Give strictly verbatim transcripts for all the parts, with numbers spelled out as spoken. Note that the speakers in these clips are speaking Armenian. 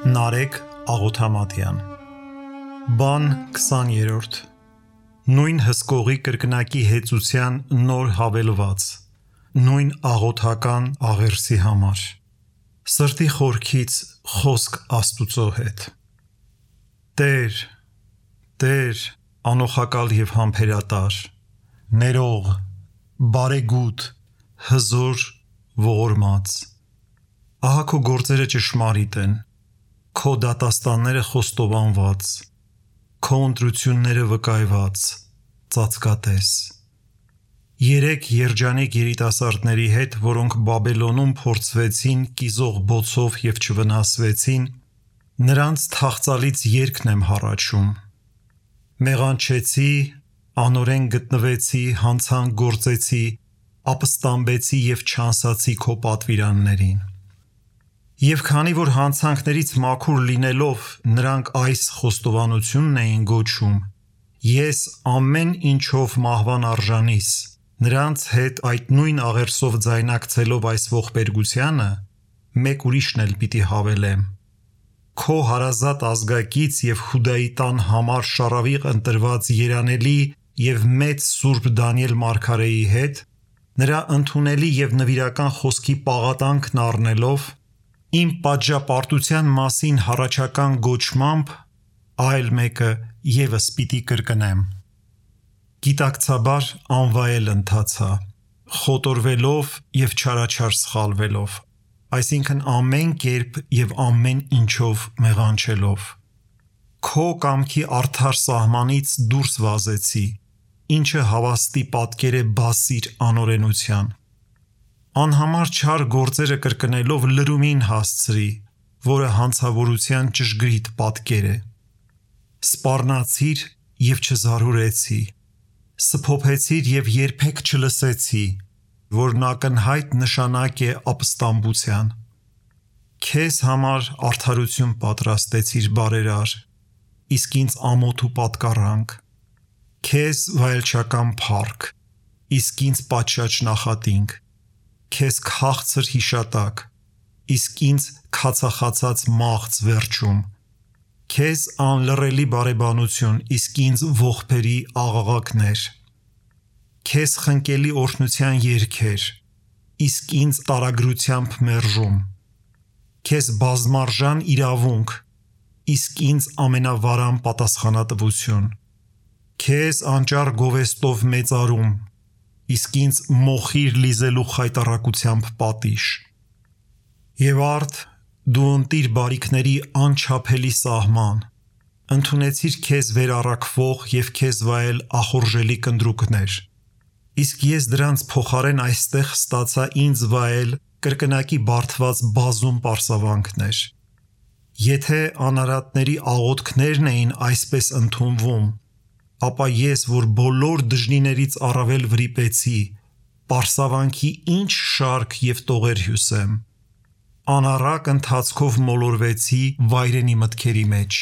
Նարեկ Աղոթամատյան Բան քսաներորդ Նույն հսկողի կրկնակի հեծության նոր հավելված Նույն աղոթական աղերսի համար Սրտի խորքից խոսք Աստուծո հետ Տեր, Տեր, անոխակալ և համբերատար Ներող, բարեգութ, հզոր, ողորմած Ահա քո գործերը ճշմարիտ են Քո դատաստանները խոստովանված Քո ընտրությունները վկայված Ծածկատես Երեք երջանիկ երիտասարդների հետ, որոնք Բաբելոնում փորձվեցին կիզող բոցով և չվնասվեցին, նրանց թախծալից երգն եմ հառաչում: Մեղանչեցի, անօրեն գտնվեցի, հանցանք գործեցի, ապստամբեցի և չանսացի քո պատվիրաններին: Եվ քանի որ հանցանքներից մաքուր լինելով նրանք այս խոստովանությունն էին գոչում. Ես ամեն ինչով մահվան արժանիս, նրանց հետ այդ նույն աղերսով ձայնակցելով այս ողբերգությանը, մեկ ուրիշն էլ պիտի հավելեմ: Քո հարազատ ազգակից և Հուդայի տան համար շառավիղ ընտրված երանելի և մեծ սուրբ Դանիել մարգարեի հետ, նրա ընդունելի և նվիրական խոսքի պաղատանքն առնելով, իմ պատժապարտության մասին հառաչական գոչմամբ, այլ մեկը ևս պիտի կրկնեմ: Գիտակցաբար անվայել ընթացա, խոտորվելով և չարաչար սխալվելով, այսինքն ամեն կերպ և ամեն ինչով մեղանչելով: Քո կամքի արդար սահմանից դուրս վազեցի, ինչը հավաստի պատկեր է բասիր անօրենության: Անհամար չար գործերը կրկնելով լրումին հասցրի, որը հանցավորության ճշգրիտ պատկեր է: Սպառնացիր և չզարուրեցի, սփոփեցիր և երբեք չլսեցի, որն ակնհայտ նշանակ է ապստամբության: Քեզ համար արդարություն պատրաստեցիր բարերար, իսկ ինձ ամոթ ու պատկառանք: Քեզ վայելչական փառք, իսկ ինձ պատշաճ նախատինք: Քեզ քաղցր հիշատակ, իսկ ինձ քացախացած մաղձ վերջում: Քեզ անլռելի բարեբանություն, իսկ ինձ ողբերի աղաղակներ: Քեզ խնկելի օրհնության երգեր, իսկ ինձ տարագրությամբ մերժում: Քեզ բազմարժան իրավունք, իսկ ինձ ամենավարան պատասխանատվություն: Քեզ անճար գովեստով մեծարում, իսկ ինձ մոխիր լիզելու խայտառակությամբ պատիժ: Եվ արդ դու ընտիր բարիքների անչափելի սահման, ընդունեցիր քեզ վերառաքվող և քեզ վայել ախորժելի կնդրուկներ, իսկ ես դրանց փոխարեն այստեղ ստացա ինձ վայել կրկնակի բարդված բազում պարսավանքներ: Եթե անարատների աղոթքներն էին այսպես ընդունվում, ապա ես, որ բոլոր դժնիներից առավել վրիպեցի, պարսավանքի ինչ շարք և տողեր հյուսեմ: Անառակ ընթացքով մոլորվեցի վայրենի մտքերի մեջ: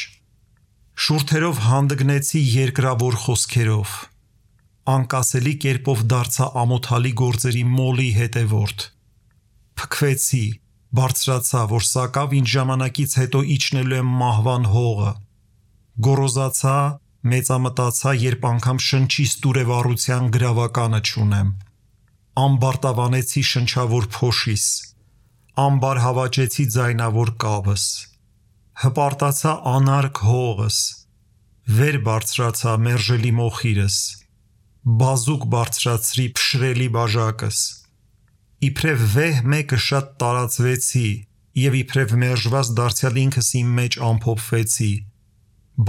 Շուրթերով հանդգնեցի երկրավոր խոսքերով: Անկասելի կերպով դարձա ամոթալի գործերի մոլի հետևորդ: Փքվեցի, բարձրացա, որ սակավ ինձ ժամանակից հետո իջնելու եմ մահվան հողը: Գոռոզացա, մեծամտացա, երբ անգամ շնչիս տուրևառության գրավականը չունեմ: Ամբարտավանեցի շնչավոր փոշիս, ամբարհավաճեցի ձայնավոր կավս: Հպարտացա անարգ հողս, վեր բարձրացա մերժելի մոխիրս, բազուկ բարձրացրի փշրելի բաժակս: Իբրև վեհ մեկը շատ տարածվեցի և իբրև մերժված դարձյալ ինքս իմ մեջ ամփոփվեցի: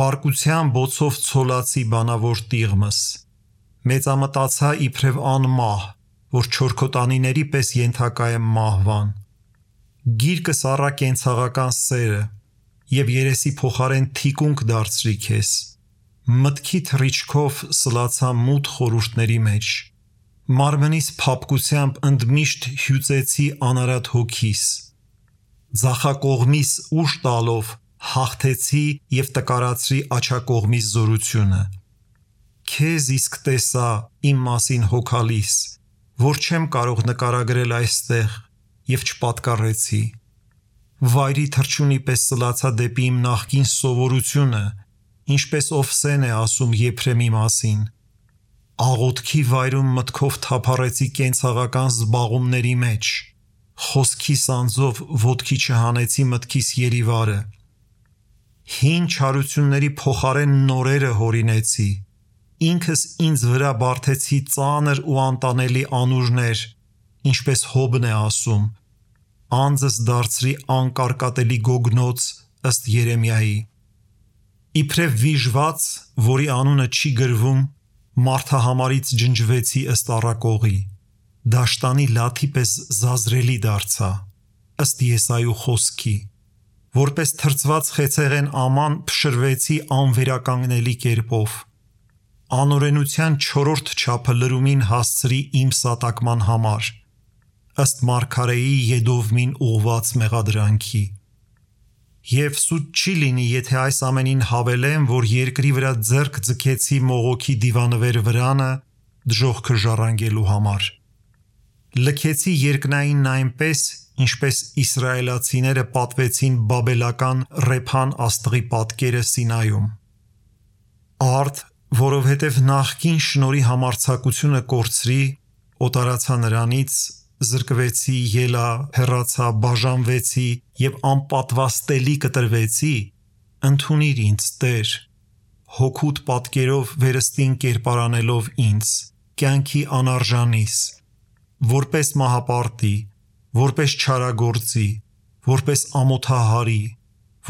Բարկության բոցով ցոլացի բանավոր տիղմս: Մեծամտացա իբրև անմահ, որ չորքոտանիների պես ենթակա եմ մահվան: Գիրկս առա կենցաղական սերը և երեսի փոխարեն թիկունք դարձրի քեզ: Մտքի թռիչքով սլացա մութ խորհուրդների մեջ: Մարմնիս փափկությամբ ընդմիշտ հյուծեցի անարատ հոգիս: Ձախակողմիս ուժ տալով հաղթեցի և տկարացրի աջակողմիս զորությունը: Քեզ իսկ տեսա իմ մասին հոգալիս, որ չեմ կարող նկարագրել այստեղ և չպատկառեցի: վայրի թռչունի պես սլացա դեպի իմ նախկին սովորությունը, ինչպես Օվսեն է ասում Եփրեմի մասին։ Աղոթքի վայրում մտքով թափառեցի կենցաղական զբաղումների մեջ, խոսքի սանձով ոտքի չհանեցի մտքիս երիվարը։ Հին չարությունների փոխարեն նորերը հորինեցի, ինքս ինձ վրա բարթեցի ծանր ու անտանելի անուրներ, ինչպես Հոբն է ասում, անձս դարձրի անկարկատելի գոգնոց ըստ Երեմիայի։ Իբրև վիժված, որի անունը չի գրվում, մարդահամարից ջնջվեցի ըստ առակողի, դաշտանի լաթի պես զազրելի դարձա, ըստ Եսայու խոսքի, որպես թրծված խեցեղեն աման փշրվեցի անվերականգնելի կերպով, անօրենության չորրորդ չափը լրումին հասցրի իմ սատակման համար, ըստ Մարգարեի Եդովմին ուղված մեղադրանքի։ Եվ սուտ չի լինի, եթե այս ամենին հավելեմ, որ երկրի վրա ձեռք ձգեցի մողոքի դիվանվեր վրանը դժոխքը ժառանգելու համար։ Լքեցի երկնայինն այնպես, ինչպես իսրայելացիները պատվեցին բաբելական Ռեփան աստղի պատկերը Սինայում։ Արդ, որովհետև նախկին շնորհի համարձակությունը կորցրի, օտարացա նրանից, զրկվեցի, ելա, հեռացա, բաժանվեցի և անպատվաստելի կտրվեցի, ընդունիր ինձ, Տեր, հոգուտ պատկերով վերստին կերպարանելով ինձ, կյանքի անարժանիս, որպես մահապարտի, որպես չարագործի, որպես ամոթահարի,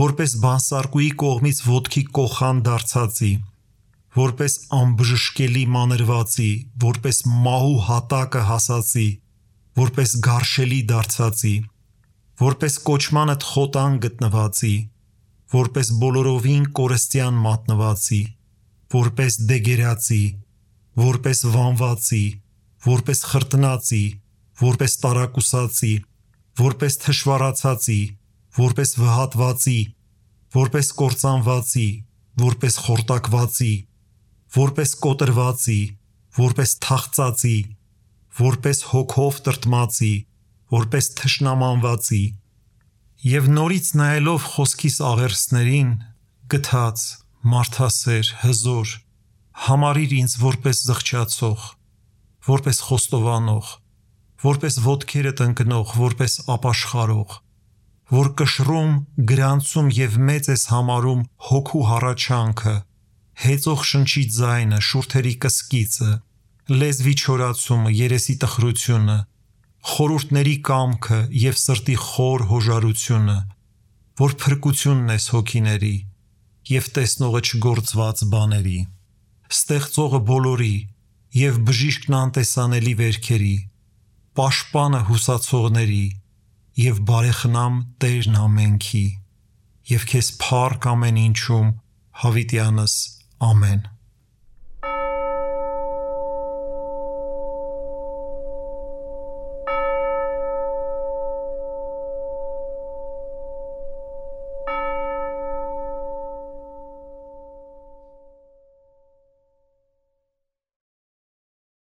որպես բանսարկուի կողմից ոտքի կոխան դարձածի, որպես անբժշկելի մանրվածի, որպես մահու հատակը հասածի, որպես գարշելի դարձածի, որպես կոչմանդ խոտան գտնվածի, որպես բոլորովին կորստյան մատնվածի, որպես դեգերացի, որպես վանվածի, որպես խրտնածի, որպես տարակուսացի, որպես թշվառացածի, որպես վհատվածի, որպես կործանվածի, որպես խորտակվածի, որպես կոտրվածի, որպես թախծածի, որպես հոգով տրտմածի, որպես թշնամանվածի, և նորից նայելով խոսքիս աղերսներին, գթած, մարդասեր, հզոր, համարիր ինձ որպես զղջացող, որպես խոստովանող, որպես ոտքերդ ընկնող, որպես ապաշխարող, որ կշռում, գրանցում և մեծ ես համարում հոգու հառաչանքը, հեծող շնչի ձայնը, շուրթերի կսկիծը, լեզվի չորացումը, երեսի տխրությունը, խորհուրդների կամքը և սրտի խոր հոժարությունը, որ փրկությունն ես հոգիների և տեսնողը չգործված բաների, ստեղծողը բոլորի և բժիշկն անտեսանելի վերքերի, պաշտպանը հուսացողների և բարեխնամ Տերն ամենքի, և քեզ փառք ամեն ինչում, հավիտյանս, ամեն։